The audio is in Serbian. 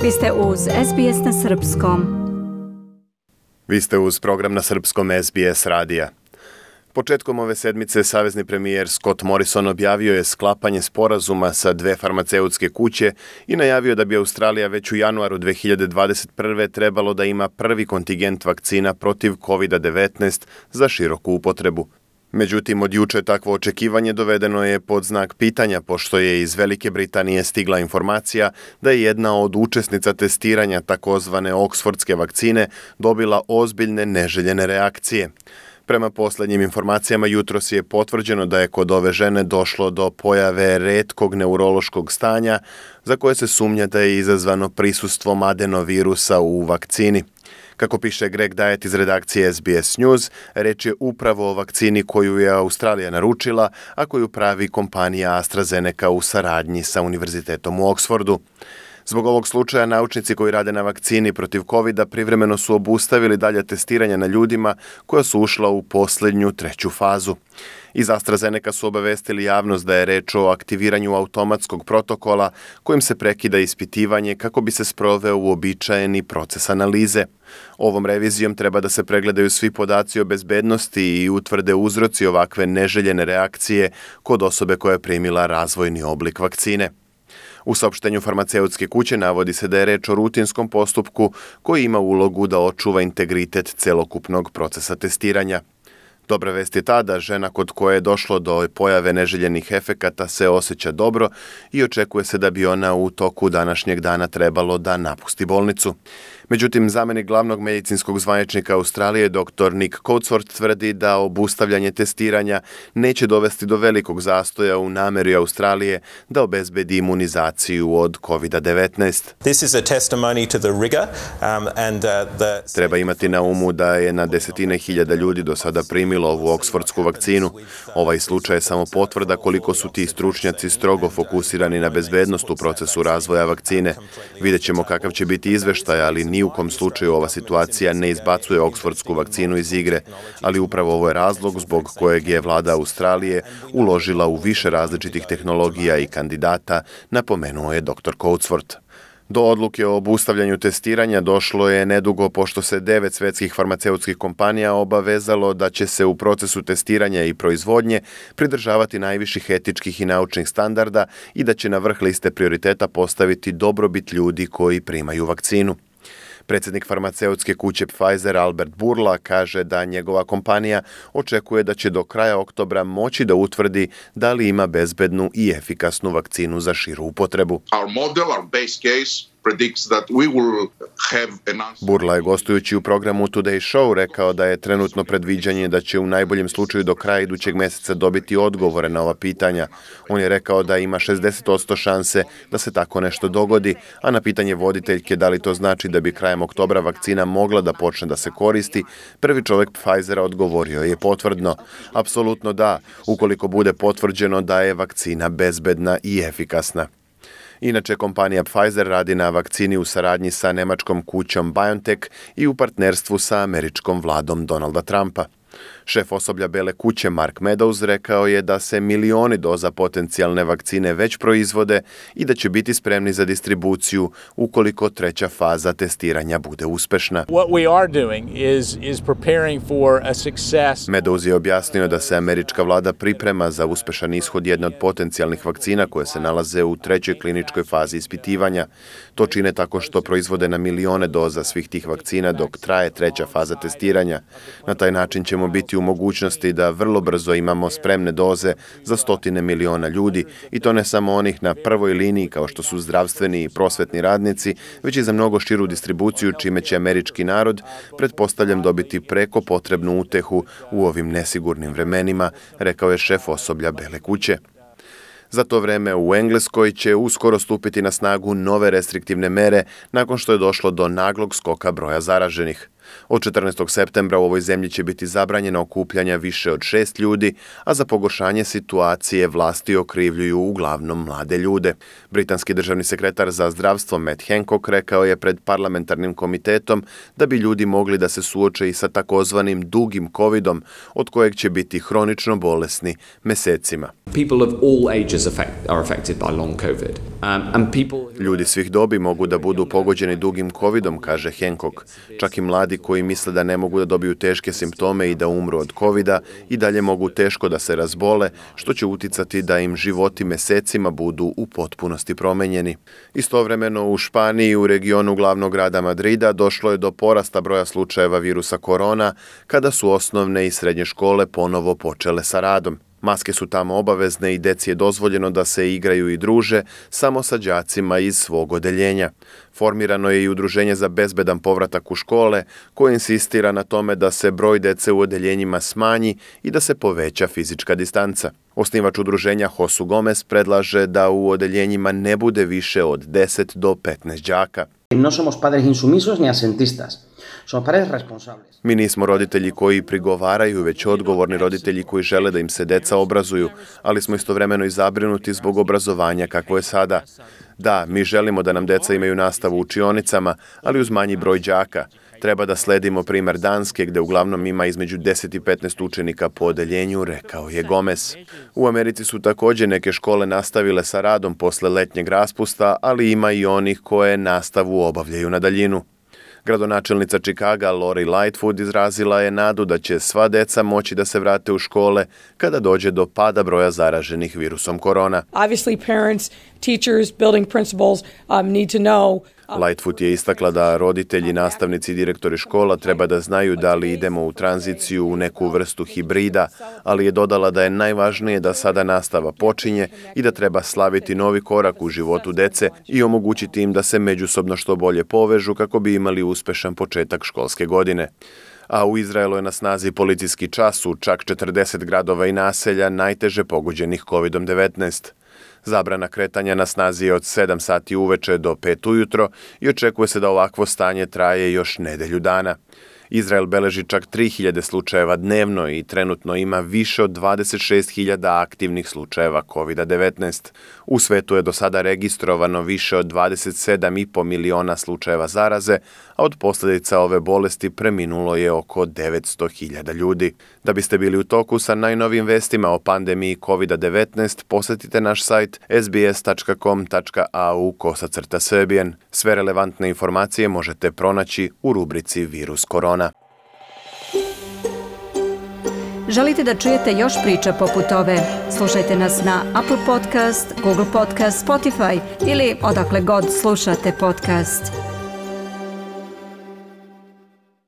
Vi ste uz SBS na Srpskom. Vi ste uz program na Srpskom SBS radija. Početkom ove sedmice savezni premijer Scott Morrison objavio je sklapanje sporazuma sa dve farmaceutske kuće i najavio da bi Australija već u januaru 2021. trebalo da ima prvi kontingent vakcina protiv COVID-19 za široku upotrebu. Međutim, od juče takvo očekivanje dovedeno je pod znak pitanja, pošto je iz Velike Britanije stigla informacija da je jedna od učesnica testiranja takozvane oksfordske vakcine dobila ozbiljne neželjene reakcije. Prema posljednjim informacijama, jutros je potvrđeno da je kod ove žene došlo do pojave retkog neurološkog stanja za koje se sumnja da je izazvano prisustvom adenovirusa u vakcini. Kako piše Greg Diet iz redakcije SBS News, reč je upravo o vakcini koju je Australija naručila, a koju pravi kompanija AstraZeneca u saradnji sa Univerzitetom u Oksfordu. Zbog ovog slučaja, naučnici koji rade na vakcini protiv COVID-a privremeno su obustavili dalje testiranja na ljudima koja su ušla u posljednju treću fazu. Iz AstraZeneca su obavestili javnost da je reč o aktiviranju automatskog protokola kojim se prekida ispitivanje kako bi se sproveo uobičajeni proces analize. Ovom revizijom treba da se pregledaju svi podaci o bezbednosti i utvrde uzroci ovakve neželjene reakcije kod osobe koja je primila razvojni oblik vakcine. U saopštenju farmaceutske kuće navodi se da je reč o rutinskom postupku koji ima ulogu da očuva integritet celokupnog procesa testiranja. Dobra vest je ta da žena kod koje je došlo do pojave neželjenih efekata se osjeća dobro i očekuje se da bi ona u toku današnjeg dana trebalo da napusti bolnicu. Međutim, zamenik glavnog medicinskog zvaničnika Australije, dr. Nick Coatsworth, tvrdi da obustavljanje testiranja neće dovesti do velikog zastoja u nameri Australije da obezbedi imunizaciju od COVID-19. Treba imati na umu da je na desetine hiljada ljudi do sada primilo ovu oksfordsku vakcinu. Ovaj slučaj je samo potvrda koliko su ti stručnjaci strogo fokusirani na bezbednost u procesu razvoja vakcine. Vidjet ćemo kakav će biti izveštaj, ali ni u kom slučaju ova situacija ne izbacuje oksfordsku vakcinu iz igre, ali upravo ovo je razlog zbog kojeg je vlada Australije uložila u više različitih tehnologija i kandidata, napomenuo je dr. Coatsworth. Do odluke o obustavljanju testiranja došlo je nedugo pošto se 9 svetskih farmaceutskih kompanija obavezalo da će se u procesu testiranja i proizvodnje pridržavati najviših etičkih i naučnih standarda i da će na vrh liste prioriteta postaviti dobrobit ljudi koji primaju vakcinu. Predsjednik farmaceutske kuće Pfizer Albert Bourla kaže da njegova kompanija očekuje da će do kraja oktobra moći da utvrdi da li ima bezbednu i efikasnu vakcinu za širu upotrebu. Bourla je gostujući u programu Today Show rekao da je trenutno predviđanje da će u najboljem slučaju do kraja idućeg mjeseca dobiti odgovore na ova pitanja. On je rekao da ima 60% šanse da se tako nešto dogodi, a na pitanje voditeljke da li to znači da bi krajem oktobra vakcina mogla da počne da se koristi, prvi čovjek Pfizera odgovorio je potvrdno. Apsolutno da, ukoliko bude potvrđeno da je vakcina bezbedna i efikasna. Inače, kompanija Pfizer radi na vakcini u saradnji sa nemačkom kućom BioNTech i u partnerstvu sa američkom vladom Donalda Trumpa. Šef osoblja Bele kuće Mark Meadows rekao je da se milioni doza potencijalne vakcine već proizvode i da će biti spremni za distribuciju ukoliko treća faza testiranja bude uspešna. Meadows je objasnio da se američka vlada priprema za uspešan ishod jedne od potencijalnih vakcina koje se nalaze u trećoj kliničkoj fazi ispitivanja. To čine tako što proizvode na milione doza svih tih vakcina dok traje treća faza testiranja. Na taj način ćemo biti u mogućnosti da vrlo brzo imamo spremne doze za stotine miliona ljudi i to ne samo onih na prvoj liniji kao što su zdravstveni i prosvetni radnici, već i za mnogo širu distribuciju čime će američki narod, pretpostavljam, dobiti preko potrebnu utehu u ovim nesigurnim vremenima, rekao je šef osoblja Bele kuće. Za to vreme u Engleskoj će uskoro stupiti na snagu nove restriktivne mere nakon što je došlo do naglog skoka broja zaraženih. Od 14. septembra u ovoj zemlji će biti zabranjeno okupljanja više od 6 ljudi, a za pogoršanje situacije vlasti okrivljuju uglavnom mlade ljude. Britanski državni sekretar za zdravstvo Matt Hancock rekao je pred parlamentarnim komitetom da bi ljudi mogli da se suoče i sa takozvanim dugim covidom, od kojeg će biti hronično bolesni mesecima. Ljudi svih dobi mogu da budu pogođeni dugim covidom, kaže Hancock. Čak i mladi koji misle da ne mogu da dobiju teške simptome i da umru od covida i dalje mogu teško da se razbole, što će uticati da im životi mesecima budu u potpunosti promenjeni. Istovremeno u Španiji, u regionu glavnog grada Madrida, došlo je do porasta broja slučajeva virusa korona kada su osnovne i srednje škole ponovo počele sa radom. Maske su tamo obavezne i deci je dozvoljeno da se igraju i druže samo sa đacima iz svog odeljenja. Formirano je i udruženje za bezbedan povratak u škole koje insistira na tome da se broj dece u odeljenjima smanji i da se poveća fizička distanca. Osnivač udruženja Josu Gomez predlaže da u odeljenjima ne bude više od 10 do 15 đaka. No somos padres insumisos ni asentistas. Somos padres responsables. Mi nismo roditelji koji prigovaraju, već odgovorni roditelji koji žele da im se deca obrazuju, ali smo istovremeno i zabrinuti zbog obrazovanja kakvo je sada. Da, mi želimo da nam deca imaju nastavu u učionicama, ali uz manji broj đaka. Treba da sledimo primer Danske, gde uglavnom ima između 10 i 15 učenika po odeljenju, rekao je Gomez. U Americi su također neke škole nastavile sa radom posle letnjeg raspusta, ali ima i onih koje nastavu obavljaju na daljinu. Gradonačelnica Chicaga Lori Lightfoot izrazila je nadu da će sva deca moći da se vrate u škole kada dođe do pada broja zaraženih virusom korona. Obviously parents, teachers, building principals need to know. Lightfoot je istakla da roditelji, nastavnici i direktori škola treba da znaju da li idemo u tranziciju u neku vrstu hibrida, ali je dodala da je najvažnije da sada nastava počinje i da treba slaviti novi korak u životu dece i omogućiti im da se međusobno što bolje povežu kako bi imali uspešan početak školske godine. A u Izraelu je na snazi policijski čas u čak 40 gradova i naselja najteže pogođenih COVID-19. Zabrana kretanja na snazi je od 7 sati uveče do 5 ujutro i očekuje se da ovakvo stanje traje još nedelju dana. Izrael beleži čak 3000 slučajeva dnevno i trenutno ima više od 26.000 aktivnih slučajeva COVID-19. U svetu je do sada registrovano više od 27,5 miliona slučajeva zaraze, a od posljedica ove bolesti preminulo je oko 900.000 ljudi. Da biste bili u toku sa najnovijim vestima o pandemiji COVID-19, posjetite naš sajt sbs.com.au/Serbian. Sve relevantne informacije možete pronaći u rubrici Virus korona. Želite da čujete još priča poput ove? Slušajte nas na Apple Podcast, Google Podcast, Spotify ili odakle god slušate podcast.